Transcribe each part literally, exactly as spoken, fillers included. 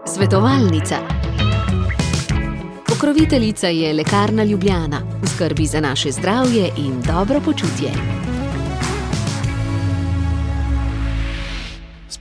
Svetovalnica. Pokroviteljica je Lekarna Ljubljana, v skrbi za naše zdravje in dobro počutje.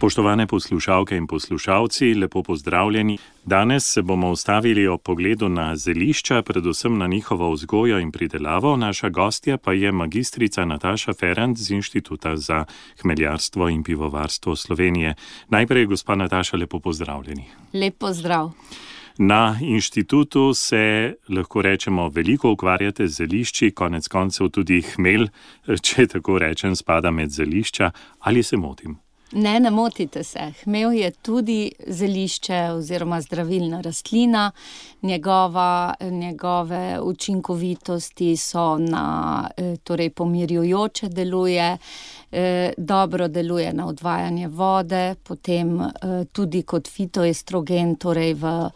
Spoštovane poslušalke in poslušalci, lepo pozdravljeni. Danes se bomo ustavili ob pogledu na zelišča, predvsem na njihovo vzgojo in pridelavo. Naša gostja pa je magistrica Nataša Ferrant z Inštituta za hmeljarstvo in pivovarstvo Slovenije. Najprej, gospa Nataša, lepo pozdravljeni. Lep pozdrav. Na inštitutu se, lahko rečemo, veliko ukvarjate z zelišči, konec koncev tudi hmelj, če tako rečem, spada med zelišča. Ali se motim? Ne, ne motite se. Hmelj je tudi zelišče oziroma zdravilna rastlina. Njegova, njegove učinkovitosti so na, torej pomirjujoče deluje, dobro deluje na odvajanje vode, potem tudi kot fitoestrogen, torej v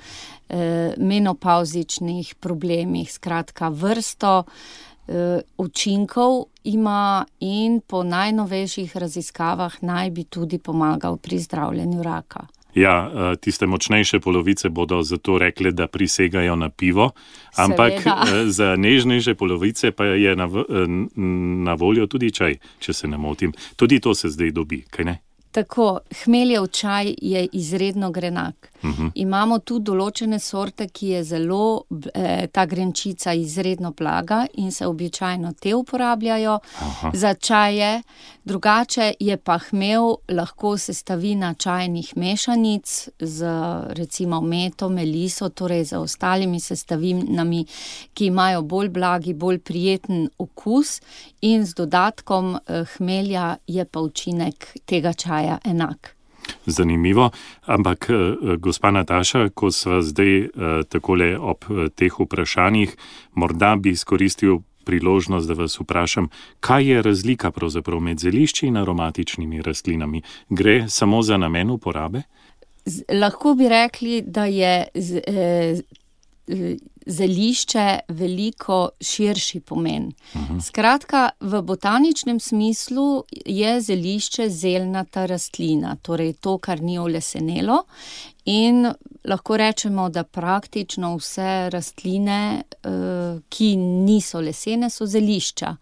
menopavzičnih problemih, skratka vrsto učinkov ima in po najnovejših raziskavah naj bi tudi pomagal pri zdravljenju raka. Ja, tiste močnejše polovice bodo zato rekle, da prisegajo na pivo, ampak Seveda. Za nežnejše polovice pa je na, na voljo tudi čaj, če se ne motim. Tudi to se zdaj dobi, kaj ne? Tako, hmeljev čaj je izredno grenak. Uh-huh. Imamo tu določene sorte, ki je zelo, eh, ta grenčica izredno blaga in se običajno te uporabljajo Aha. za čaje. Drugače je pa hmelj lahko sestavina čajnih mešanic z recimo meto, meliso, torej z ostalimi sestavinami, ki imajo bolj blagi, bolj prijeten okus in z dodatkom eh, hmelja je pa učinek tega čaja enak. Zanimivo, ampak gospa Nataša, ko sva zdaj takole ob teh vprašanjih, morda bi izkoristil priložnost, da vas vprašam, kaj je razlika pravzaprav med zelišči in aromatičnimi rastlinami? Gre samo za namen uporabe? Z, lahko bi rekli, da je z, eh, zelišče veliko širši pomen. Uh-huh. Skratka, v botaničnem smislu je zelišče zelnata rastlina, torej to, kar ni olesenelo, in lahko rečemo, da praktično vse rastline, ki niso lesene, so zelišča.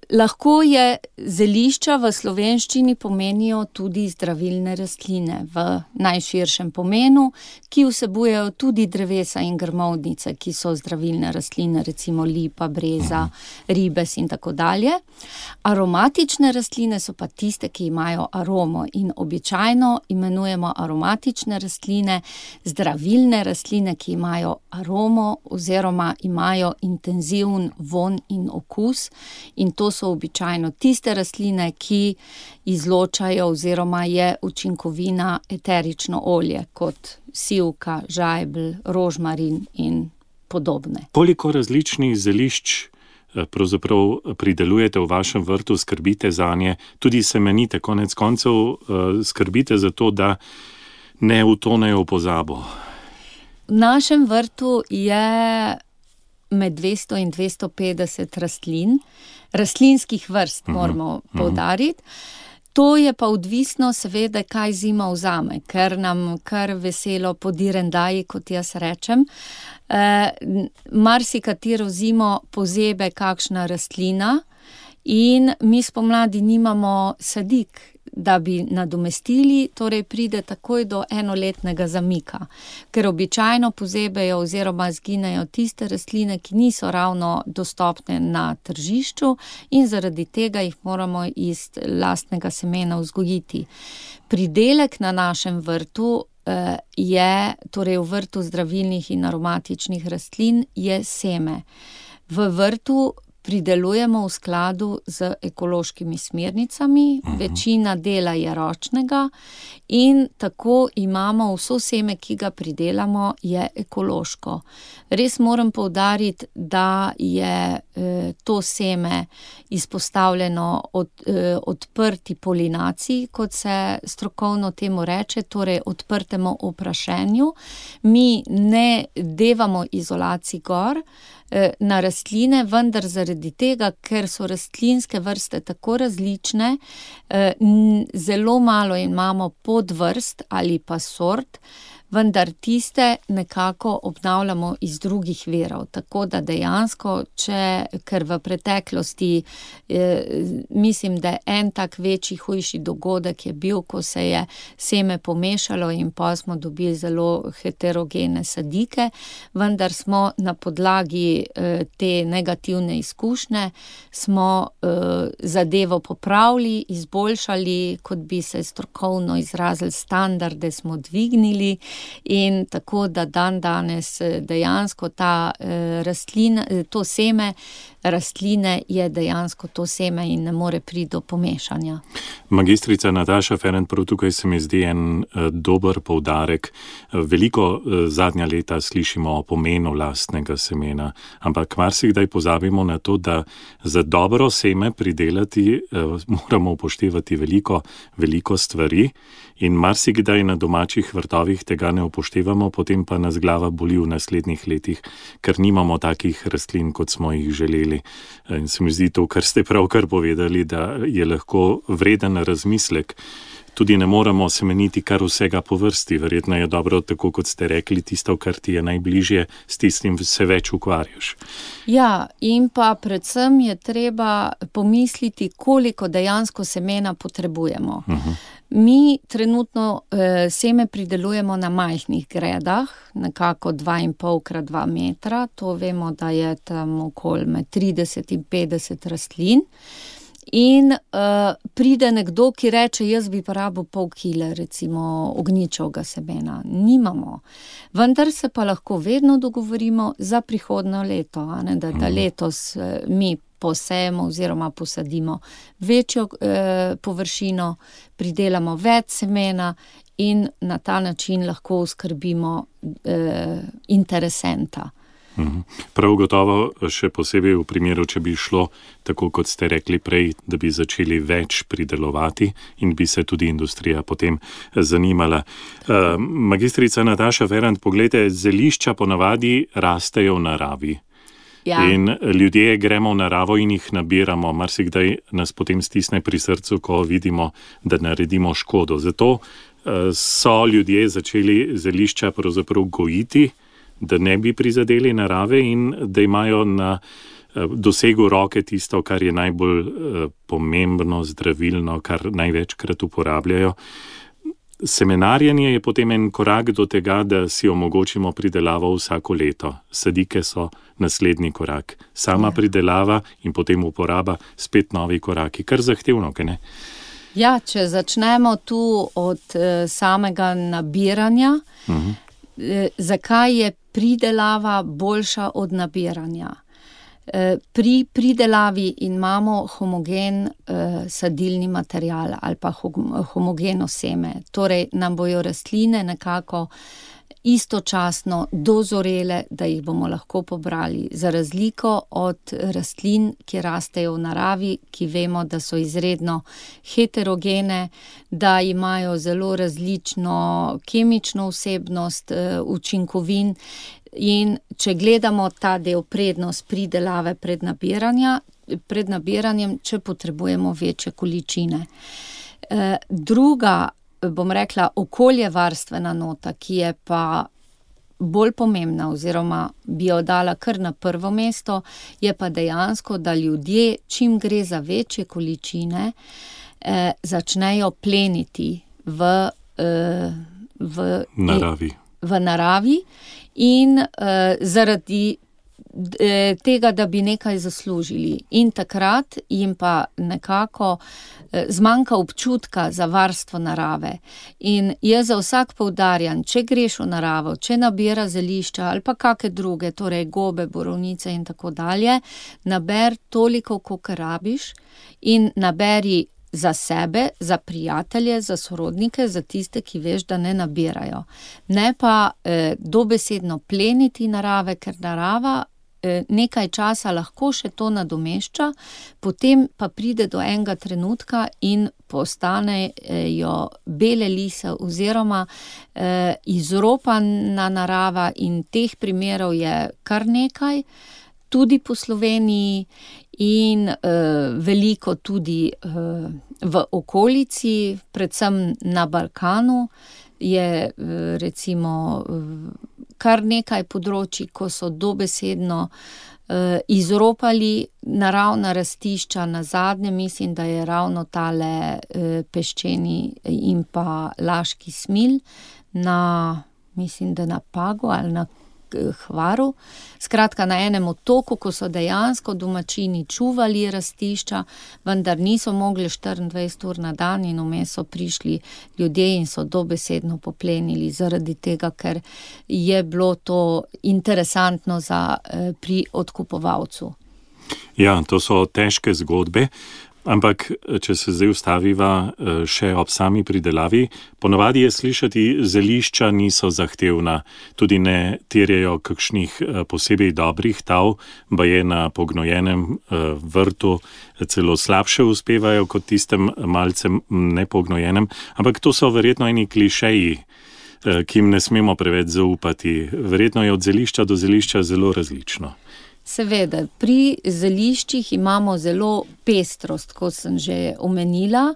Lahko je zelišča v slovenščini pomenijo tudi zdravilne rastline v najširšem pomenu, ki vsebujejo tudi drevesa in grmovnice, ki so zdravilne rastline, recimo lipa, breza, ribes in tako dalje. Aromatične rastline so pa tiste, ki imajo aromo in običajno imenujemo aromatične rastline zdravilne rastline, ki imajo aromo oziroma imajo intenziven von in okus, in to so običajno tiste rastline, ki izločajo oziroma je učinkovina eterično olje, kot sivka, žajbelj, rožmarin in podobne. Koliko različnih zelišč pravzaprav pridelujete v vašem vrtu, skrbite zanje, tudi semenite, konec koncev skrbite za to, da ne utonejo v pozabo? V našem vrtu je med dvesto in dvesto petdeset rastlin, rastlinskih vrst moramo uh-huh. poudariti. To je pa odvisno seveda, kaj zima vzame, ker nam kar veselo podirendaji, kot jaz rečem. E, marsikatero zimo pozebe kakšna rastlina in mi spomladi nimamo sadik, da bi nadomestili, torej pride takoj do enoletnega zamika, ker običajno pozebejo oziroma zginejo tiste rastline, ki niso ravno dostopne na tržišču in zaradi tega jih moramo iz lastnega semena vzgojiti. Pridelek na našem vrtu eh, je, torej v vrtu zdravilnih in aromatičnih rastlin, je seme. V vrtu pridelujemo v skladu z ekološkimi smernicami, uh-huh. večina dela je ročnega in tako imamo vso seme, ki ga pridelamo, je ekološko. Res moram poudariti, da je eh, to seme izpostavljeno od, eh, odprti polinaciji, kot se strokovno temu reče, torej odprtemu oprašenju. Mi ne devamo izolacij gor na rastline, vendar zaradi zaradi tega, ker so rastlinske vrste tako različne, zelo malo imamo podvrst ali pa sort, vendar tiste nekako obnavljamo iz drugih virov, tako da dejansko, če, ker v preteklosti, eh, mislim, da en tak večji, hujši dogodek je bil, ko se je seme pomešalo in pa smo dobili zelo heterogene sadike, vendar smo na podlagi eh, te negativne izkušnje, smo eh, zadevo popravili, izboljšali, kot bi se strokovno izrazili, standarde smo dvignili, in tako, da dan danes dejansko ta eh, rastlina, to seme rastline je dejansko to seme in ne more priti do pomešanja. Magistrica Nataša Ferent, prav tukaj se mi zdi en eh, dober poudarek. Veliko eh, zadnja leta slišimo o pomenu lastnega semena, ampak marsikdaj pozabimo na to, da za dobro seme pridelati eh, moramo upoštevati veliko, veliko stvari in marsikdaj na domačih vrtovih tega ne upoštevamo, potem pa nas glava boli v naslednjih letih, ker nimamo takih rastlin, kot smo jih želeli. In se mi zdi to, kar ste pravkar povedali, da je lahko vreden razmislek. Tudi ne moramo semeniti kar vsega po vrsti. Verjetno je dobro, tako kot ste rekli, tisto, kar ti je najbližje, s tistim se več ukvarjaš. Ja, in pa predvsem je treba pomisliti, koliko dejansko semena potrebujemo. Uh-huh. Mi trenutno eh, seme pridelujemo na majhnih gredah, nekako dva in pol krat dva metra, to vemo, da je tam okoli med trideset in petdeset rastlin. In uh, pride nekdo, ki reče, jaz bi porabil pol kile, recimo ognjičevega semena. Nimamo. Vendar se pa lahko vedno dogovorimo za prihodnjo leto, a ne, da, da letos uh, mi posejemo oziroma posadimo večjo eh, površino, pridelamo več semena in na ta način lahko oskrbimo eh, interesenta. Prav gotovo še posebej v primeru, če bi šlo, tako kot ste rekli prej, da bi začeli več pridelovati in bi se tudi industrija potem zanimala. Uh, magistrica Nataša Ferent, poglejte, zelišča ponavadi rastejo v naravi. Ja. In ljudje gremo v naravo in jih nabiramo. Marsikdaj nas potem stisne pri srcu, ko vidimo, da naredimo škodo. Zato uh, so ljudje začeli zelišča pravzaprav gojiti, da ne bi prizadeli narave in da imajo na uh, dosegu roke tisto, kar je najbolj uh, pomembno, zdravilno, kar največkrat uporabljajo. Semenarjenje je potem en korak do tega, da si omogočimo pridelavo vsako leto. Sadike so naslednji korak. Sama pridelava in potem uporaba, spet novi koraki. Kar zahtevno, kaj ne? Ja, če začnemo tu od eh, samega nabiranja, uh-huh. eh, zakaj je pridelava boljša od nabiranja? Pri pridelavi imamo homogen uh, sadilni material ali pa homogeno seme. Torej nam bojo rastline nekako istočasno dozorele, da jih bomo lahko pobrali. Za razliko od rastlin, ki rastejo v naravi, ki vemo, da so izredno heterogene, da imajo zelo različno kemično vsebnost, uh, učinkovin. In če gledamo ta del prednost pridelave pred nabiranja, pred nabiranjem, če potrebujemo večje količine. E, druga, bom rekla, okoljevarstvena nota, ki je pa bolj pomembna oziroma bi jo dala kar na prvo mesto, je pa dejansko, da ljudje, čim gre za večje količine, e, začnejo pleniti v, e, v naravi. v naravi in uh, zaradi uh, tega, da bi nekaj zaslužili. In takrat jim pa nekako uh, zmanjka občutka za varstvo narave. In jaz za vsak poudarjam, če greš v naravo, če nabira zelišča ali pa kakšne druge, torej gobe, borovnice in tako dalje, naber toliko, kolikor rabiš in naberi za sebe, za prijatelje, za sorodnike, za tiste, ki veš, da ne nabirajo. Ne pa eh, dobesedno pleniti narave, ker narava eh, nekaj časa lahko še to nadomešča, potem pa pride do enega trenutka in postanejo bele lise oziroma eh, izropana narava in teh primerov je kar nekaj, tudi po Sloveniji in uh, veliko tudi uh, v okolici, predvsem na Balkanu, je uh, recimo uh, kar nekaj področji, ko so dobesedno uh, izropali naravna rastišča. Na zadnje mislim, da je ravno tale uh, peščeni in pa laški smilj na, mislim, da na Pagu ali na Hvaru. Skratka, na enem otoku, ko so dejansko domačini čuvali rastišča, vendar niso mogli štiriindvajset ur na dan in vmes so prišli ljudje in so dobesedno poplenili zaradi tega, ker je bilo to interesantno za, pri odkupovalcu. Ja, to so težke zgodbe. Ampak, če se zdaj ustaviva še ob sami pridelavi, ponavadi je slišati, zelišča niso zahtevna, tudi ne terjajo kakšnih posebej dobrih tav, baje na pognojenem vrtu celo slabše uspevajo kot tistem malce nepognojenem, ampak to so verjetno eni klišeji, ki jim ne smemo preveč zaupati. Verjetno je od zelišča do zelišča zelo različno. Seveda, pri zeliščih imamo zelo pestrost, kot sem že omenila,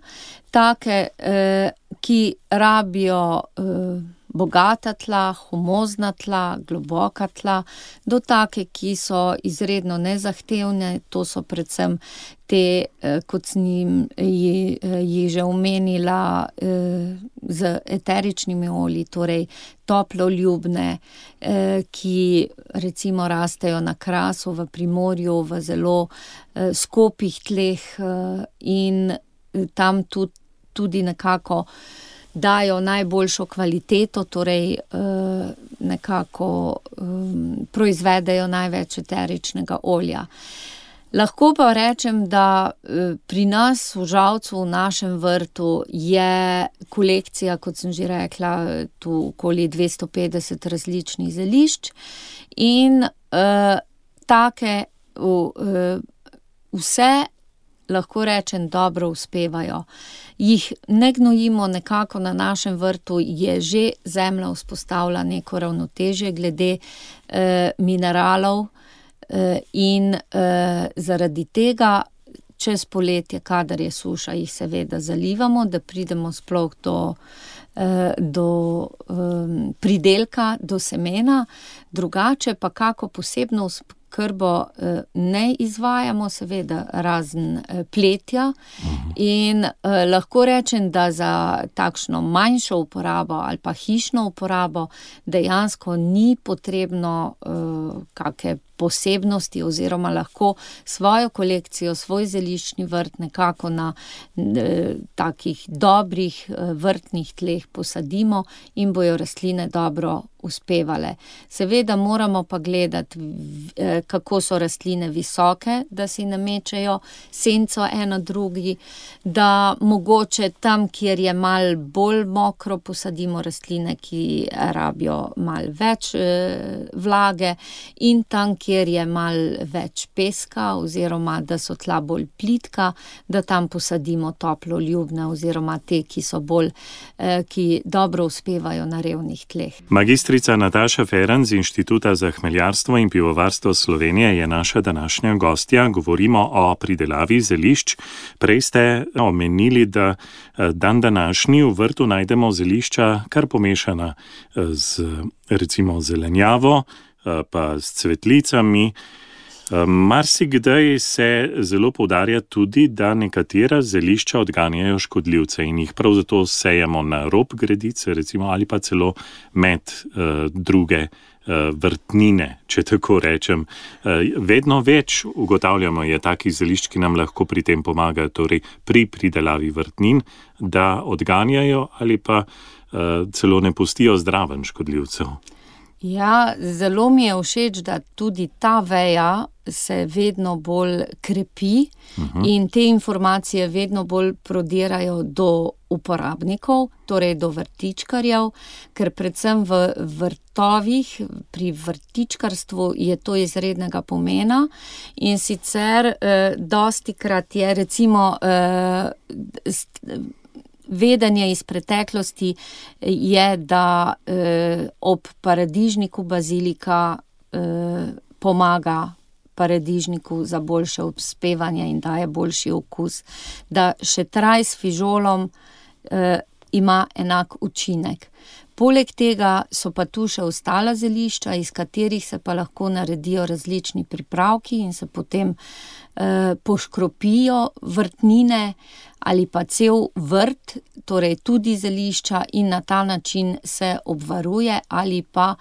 take, eh, ki rabijo eh, bogata tla, humozna tla, globoka tla, do take, ki so izredno nezahtevne, to so predvsem te, eh, kot sem jih ji že omenila, eh, z eteričnimi olji, torej toploljubne, eh, ki recimo rastejo na Krasu v Primorju, v zelo eh, skopih tleh eh, in tam tudi, tudi nekako dajo najboljšo kvaliteto, torej eh, nekako eh, proizvedejo največ eteričnega olja. Lahko pa rečem, da eh, pri nas v Žalcu, v našem vrtu, je kolekcija, kot sem že rekla, tu okoli dvesto petdeset različnih zelišč in eh, take eh, vse, lahko rečem, dobro uspevajo. Jih ne gnojimo, nekako na našem vrtu je že zemlja vzpostavila neko ravnotežje glede eh, mineralov eh, in eh, zaradi tega čez poletje, kadar je suša, jih seveda zalivamo, da pridemo sploh do, eh, do eh, pridelka, do semena, drugače pa kako posebno krbo ne izvajamo, seveda razen pletja in eh, lahko rečem, da za takšno manjšo uporabo ali pa hišno uporabo dejansko ni potrebno eh, kakšne posebnosti oziroma lahko svojo kolekcijo, svoj zeliščni vrt nekako na eh, takih dobrih eh, vrtnih tleh posadimo in bojo rastline dobro uspevale. Seveda moramo pa gledati, eh, kako so rastline visoke, da si namečejo senco eno drugi, da mogoče tam, kjer je mal bolj mokro, posadimo rastline, ki rabijo mal več eh, vlage in tam, kjer je mal več peska oziroma da so tla bolj plitka, da tam posadimo toploljubne oziroma te, ki so bolj, eh, ki dobro uspevajo na revnih tleh. Magistrica Nataša Ferran z Inštituta za hmeljarstvo in pivovarstvo Slovenije je naša današnja gostja. Govorimo o pridelavi zelišč. Prej ste omenili, da dan današnji v vrtu najdemo zelišča kar pomešana z recimo zelenjavo, pa s cvetlicami. Marsikdaj se zelo poudarja tudi, da nekatera zelišča odganjajo škodljivce in jih prav zato sejemo na rob gredice, recimo, ali pa celo med uh, druge uh, vrtnine, če tako rečem. Uh, vedno več ugotavljamo je takih zelišč, ki nam lahko pri tem pomagajo, torej pri pridelavi vrtnin, da odganjajo ali pa uh, celo ne pustijo zdraven škodljivcev. Ja, zelo mi je všeč, da tudi ta veja se vedno bolj krepi uh-huh. in te informacije vedno bolj prodirajo do uporabnikov, torej do vrtičkarjev, ker predvsem v vrtovih, pri vrtičkarstvu je to izrednega pomena in sicer eh, dostikrat je recimo eh, st- vedenje iz preteklosti je, da eh, ob paradižniku bazilika eh, pomaga paradižniku za boljše obspevanje in daje boljši okus, da šetraj s fižolom eh, ima enak učinek. Poleg tega so pa tu še ostala zelišča, iz katerih se pa lahko naredijo različni pripravki in se potem eh, poškropijo vrtnine ali pa cel vrt, torej tudi zelišča, in na ta način se obvaruje ali pa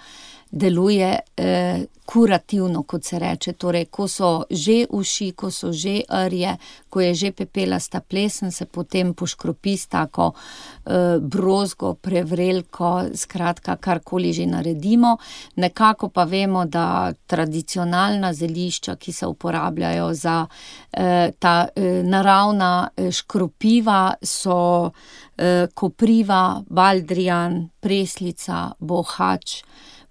deluje eh, kurativno, kot se reče. Torej, ko so že uši, ko so že rje, ko je že pepelasta plesen, se potem poškropi s tako eh, brozgo, prevrelko, skratka, karkoli že naredimo. Nekako pa vemo, da tradicionalna zelišča, ki se uporabljajo za eh, ta eh, naravna eh, škropiva, so eh, kopriva, baldrijan, preslica, bohač,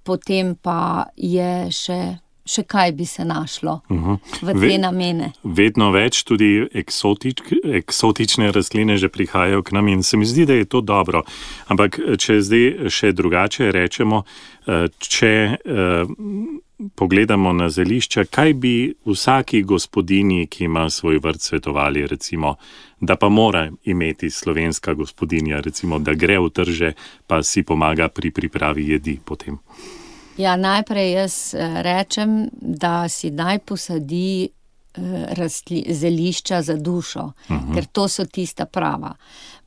potem pa je še, še kaj bi se našlo uh-huh. v te Ve, namene. Vedno več tudi eksotič, eksotične rastline že prihajajo k nam in se mi zdi, da je to dobro. Ampak če zdaj še drugače rečemo, če eh, pogledamo na zelišča, kaj bi vsaki gospodinji, ki ima svoj vrt, svetovali, recimo, da pa mora imeti slovenska gospodinja, recimo, da gre v trže, pa si pomaga pri pripravi jedi potem? Ja, najprej jaz rečem, da si naj posadi rastli, zelišča za dušo, uh-huh. ker to so tista prava.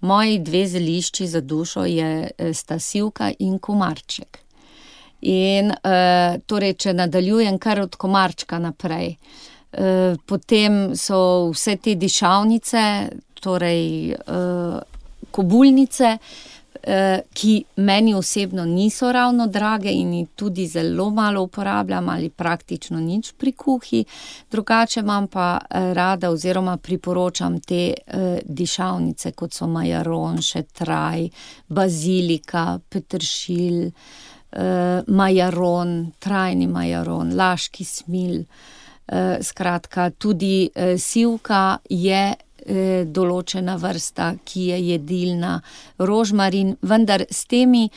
Moji dve zelišči za dušo je sta sivka in komarček. In uh, torej, če nadaljujem kar od komarčka naprej, uh, potem so vse te dišavnice, torej uh, kobulnice, uh, ki meni osebno niso ravno drage in jih tudi zelo malo uporabljam ali praktično nič pri kuhi. Drugače imam pa rada oziroma priporočam te uh, dišavnice, kot so majaron, šetraj, bazilika, peteršilj, Uh, majaron, trajni majaron, laški smil, uh, skratka, tudi uh, sivka je uh, določena vrsta, ki je jedilna, rožmarin, vendar s temi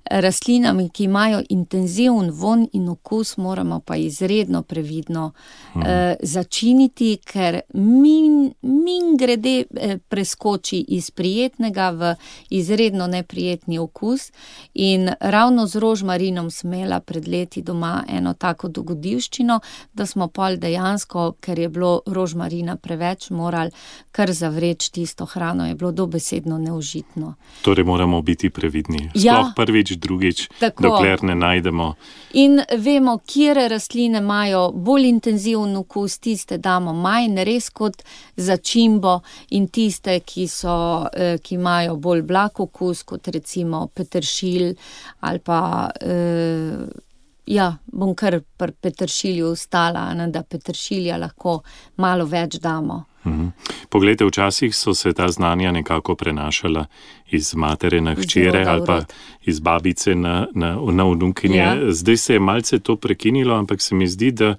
rastlinami, ki imajo intenziven von in okus, moramo pa izredno previdno hmm. uh, začiniti, ker min, min grede eh, preskoči iz prijetnega v izredno neprijetni okus. In ravno z rožmarinom sem imela pred leti doma eno tako dogodivščino, da smo pol dejansko, ker je bilo rožmarina preveč, morali kar zavreči tisto hrano, je bilo dobesedno neužitno. Torej moramo biti previdni. Sploh ja. prvič, drugič, tako. Dokler ne najdemo. In vemo, kjere rastline imajo bolj intenziven okus, tiste damo manj, res kot začimbo, in tiste, ki so, ki imajo bolj blag okus, kot recimo peteršilj ali pa, eh, ja, bom kar pri peteršilju ostala, ne, da peteršilja lahko malo več damo. Mhm. Poglejte, včasih so se ta znanja nekako prenašala iz matere na hčere ali pa iz babice na, na, na vnukinje. Ja. Zdaj se je malce to prekinilo, ampak se mi zdi, da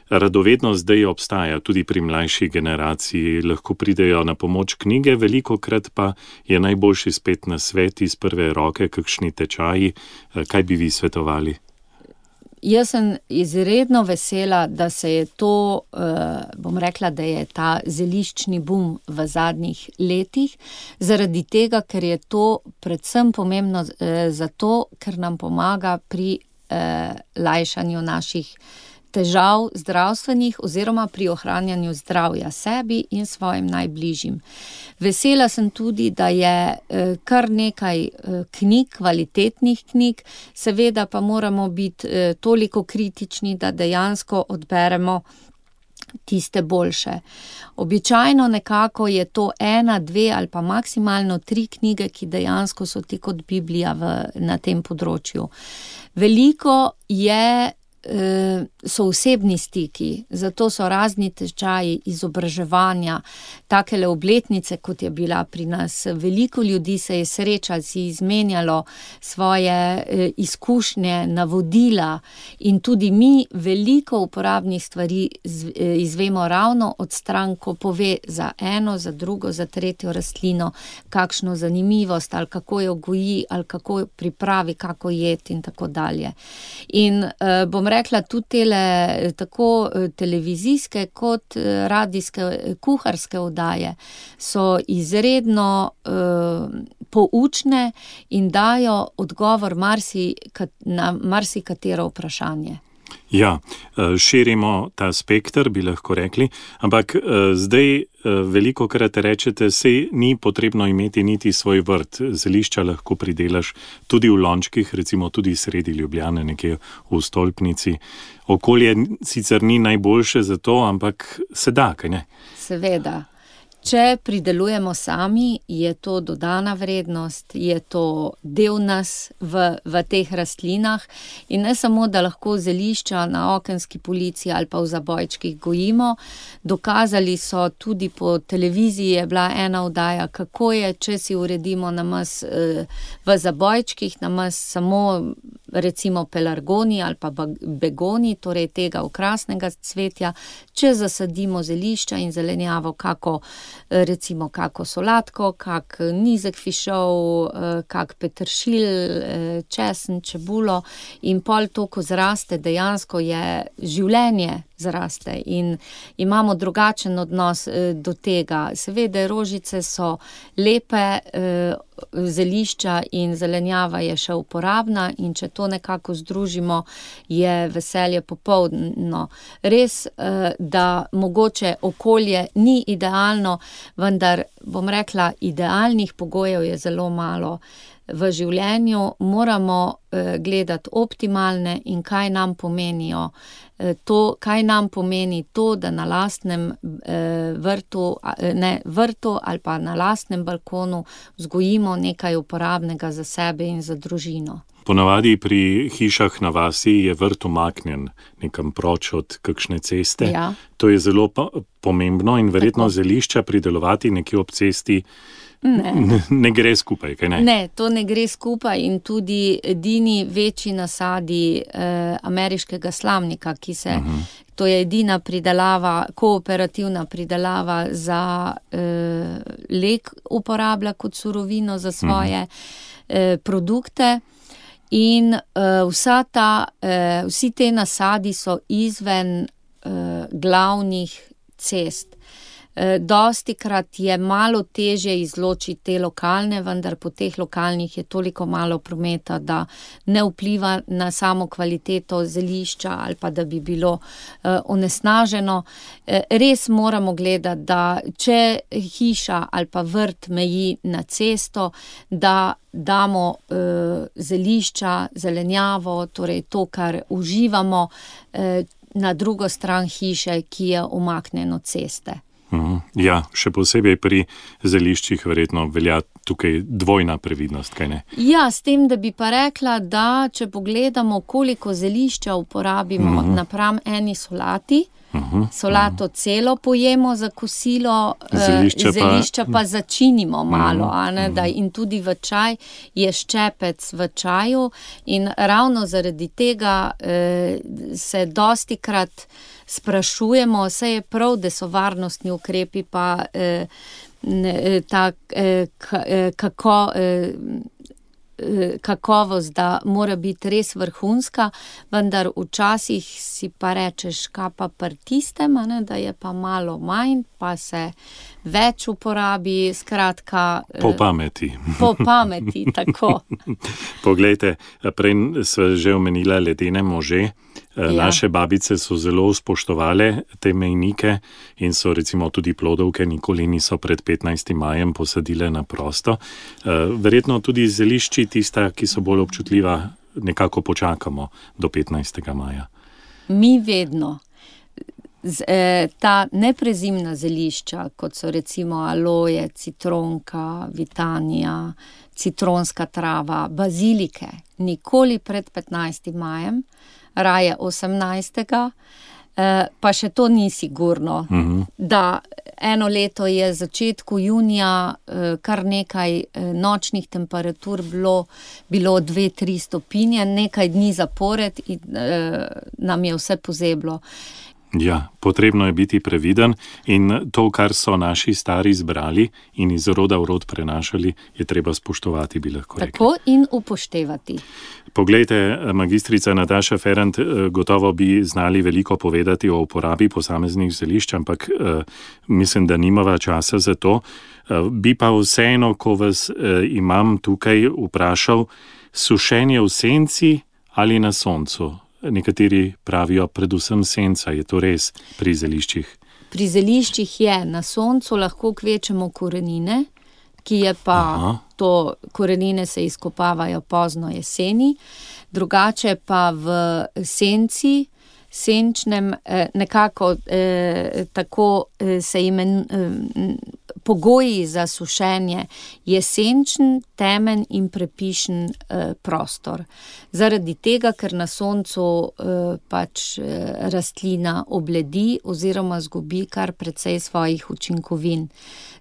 radovednost zdaj obstaja tudi pri mlajši generaciji. Lahko pridejo na pomoč knjige, velikokrat pa je najboljši spet na svet iz prve roke, kakšni tečaji. Kaj bi vi svetovali? Jaz sem izredno vesela, da se je to, bom rekla, da je ta zeliščni bum v zadnjih letih, zaradi tega, ker je to predvsem pomembno zato, ker nam pomaga pri lajšanju naših težav zdravstvenih oziroma pri ohranjanju zdravja sebi in svojim najbližjim. Vesela sem tudi, da je kar nekaj knjig, kvalitetnih knjig, seveda pa moramo biti toliko kritični, da dejansko odberemo tiste boljše. Običajno nekako je to ena, dve ali pa maksimalno tri knjige, ki dejansko so ti kot Biblija v, na tem področju. Veliko je so osebni stiki, zato so razni tečaji izobraževanja, takele obletnice, kot je bila pri nas. Veliko ljudi se je srečalo, si izmenjalo svoje izkušnje, navodila in tudi mi veliko uporabnih stvari izvemo ravno od stran, ko pove za eno, za drugo, za tretjo rastlino, kakšno zanimivost, ali kako jo goji, ali kako jo pripravi, kako jeti in tako dalje. In bom rekla, tudi tele, tako televizijske kot radijske, kuharske oddaje so izredno uh, poučne in dajo odgovor marsi, na marsikatero vprašanje. Ja, širimo ta spekter, bi lahko rekli, ampak zdaj veliko krat rečete, sej ni potrebno imeti niti svoj vrt, zelišča lahko pridelaš tudi v lončkih, recimo tudi sredi Ljubljane, nekje v stolpnici. Okolje sicer ni najboljše za to, ampak se da, kaj ne? Seveda. Če pridelujemo sami, je to dodana vrednost, je to del nas v, v teh rastlinah in ne samo, da lahko zelišča na okenski polici ali pa v zabojčkih gojimo. Dokazali so tudi po televiziji, je bila ena oddaja, kako je, če si uredimo namaz v zabojčkih, namaz samo recimo pelargoni ali pa begoni, torej tega okrasnega cvetja, če zasadimo zelišča in zelenjavo, kako recimo kako solatko, kak nizek fišov, kak peteršilj, česen, čebulo in pol to, ko zraste, dejansko je življenje zraste in imamo drugačen odnos do tega. Seveda rožice so lepe, zelišča in zelenjava je še uporabna in če to nekako združimo, je veselje popolno. Res, da mogoče okolje ni idealno, vendar bom rekla, idealnih pogojev je zelo malo. V življenju moramo gledati optimalne in kaj nam pomenijo. To, kaj nam pomeni to, da na lastnem vrtu, ne, vrtu ali pa na lastnem balkonu vzgojimo nekaj uporabnega za sebe in za družino. Ponavadi pri hišah na vasi je vrt umaknjen nekam proč od kakšne ceste. Ja. To je zelo pomembno in verjetno Tako. Zelišča pridelovati nekje ob cesti Ne. ne gre skupaj, kaj ne? Ne, to ne gre skupaj in tudi edini večji nasadi eh, ameriškega slamnika, ki se, uh-huh. to je edina pridelava, kooperativna pridelava za eh, lek uporablja kot surovino za svoje uh-huh. eh, produkte in eh, vsa ta, eh, vsi te nasadi so izven eh, glavnih cest. Dostikrat je malo težje izločiti te lokalne, vendar po teh lokalnih je toliko malo prometa, da ne vpliva na samo kvaliteto zelišča ali pa da bi bilo uh, onesnaženo. Uh, res moramo gledati, da če hiša ali pa vrt meji na cesto, da damo uh, zelišča, zelenjavo, torej to, kar uživamo, uh, na drugo stran hiše, ki je umaknjeno ceste. Ja, še posebej pri zeliščih verjetno velja tukaj dvojna previdnost, kaj ne? Ja, s tem, da bi pa rekla, da če pogledamo, koliko zelišča uporabimo uh-huh. napram eni solati, uh-huh. solato uh-huh. celo pojemo za kosilo, zelišča, zelišča pa, pa začinimo malo, uh-huh. a ne, da in tudi v čaj je ščepec v čaju in ravno zaradi tega eh, se dostikrat sprašujemo, vse je prav, da so varnostni ukrepi pa eh, ta eh, kako, eh, kakovost, da mora biti res vrhunska, vendar včasih si pa rečeš, kaj pa pri tistem, ne, da je pa malo manj, pa se več uporabi, skratka... Po pameti. Po pameti, tako. Poglejte, prej sva že omenila ledene može. Ja. Naše babice so zelo spoštovale te mejnike in so recimo tudi plodovke nikoli niso pred petnajstim majem posadile na prosto. Verjetno tudi zelišči tista, ki so bolj občutljiva, nekako počakamo do petnajstega maja. Mi vedno. Z, eh, ta neprezimna zelišča, kot so recimo aloje, citronka, vitanija, citronska trava, bazilike, nikoli pred petnajstim majem, raje osemnajstega, eh, pa še to ni sigurno, uh-huh. da eno leto je začetku junija eh, kar nekaj eh, nočnih temperatur bilo, bilo dve, tri stopinje, nekaj dni zapored in eh, nam je vse pozeblo. Ja, potrebno je biti previden in to, kar so naši stari zbrali in iz roda v rod prenašali, je treba spoštovati, bi lahko rekli. Tako in upoštevati. Poglejte, magistrica Nataša Ferrant, gotovo bi znali veliko povedati o uporabi posameznih zelišč, ampak eh, mislim, da nimava časa za to. Eh, bi pa vseeno, ko vas eh, imam tukaj vprašal, sušenje v senci ali na soncu? Nekateri pravijo predvsem senca, je to res pri zeliščih? Pri zeliščih je, na soncu lahko kvečemo korenine, ki je pa Aha. to, korenine se izkopavajo pozno jeseni, drugače pa v senci, senčnem, nekako eh, tako se imen, eh, pogoji za sušenje je senčen, temen in prepišen eh, prostor. Zaradi tega, ker na soncu eh, pač eh, rastlina obledi oziroma zgubi kar precej svojih učinkovin.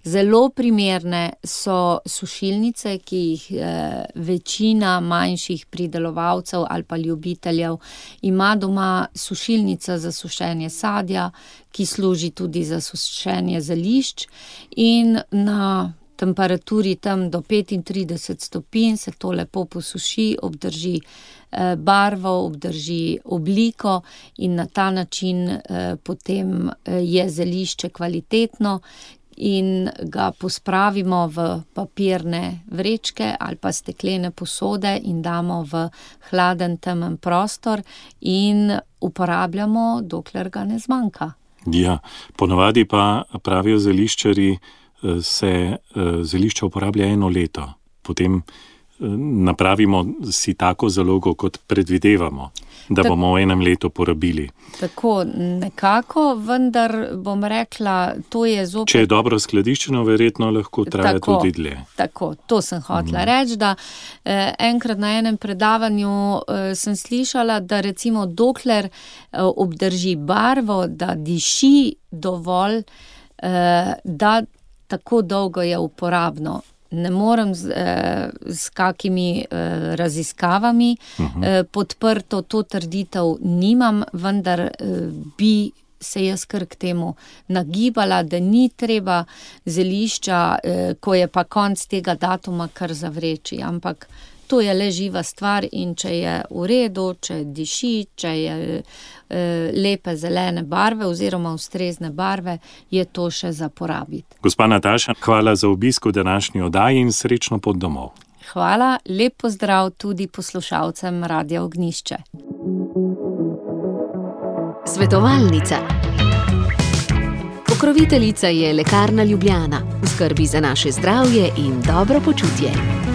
Zelo primerne so sušilnice, ki jih eh, večina manjših pridelovalcev ali pa ljubiteljev ima doma, sušilnica za sušenje sadja, ki služi tudi za sušenje zelišč, in na temperaturi tam do petintrideset stopinj se to lepo posuši, obdrži eh, barvo, obdrži obliko in na ta način eh, potem eh, je zelišče kvalitetno in ga pospravimo v papirne vrečke ali pa steklene posode in damo v hladen, temen prostor in uporabljamo, dokler ga ne zmanjka. Ja, ponavadi pa pravijo zeliščarji, se zelišča uporablja eno leto. Potem napravimo si tako zalogo, kot predvidevamo, da Tak, bomo v enem letu porabili. Tako nekako, vendar bom rekla, to je zopet... Če je dobro skladiščeno, verjetno lahko traja tako, tudi dlje. Tako, to sem hotela mm. reči, da eh, enkrat na enem predavanju eh, sem slišala, da recimo dokler eh, obdrži barvo, da diši dovolj, eh, da tako dolgo je uporabno. Ne morem z, eh, s kakimi eh, raziskavami uh-huh. eh, podprto to trditev nimam, vendar eh, bi se jaz kar k temu nagibala, da ni treba zelišča, eh, ko je pa konc tega datuma, kar zavreči, ampak to je le živa stvar in če je v redu, če diši, če je e, lepe zelene barve oziroma ustrezne barve, je to še za porabiti. Gospa Nataša, hvala za obisk v današnji oddaji in srečno pot domov. Hvala, lep pozdrav tudi poslušalcem Radia Ognjišče. Svetovalnica. Pokroviteljica je Lekarna Ljubljana, v skrbi za naše zdravje in dobro počutje.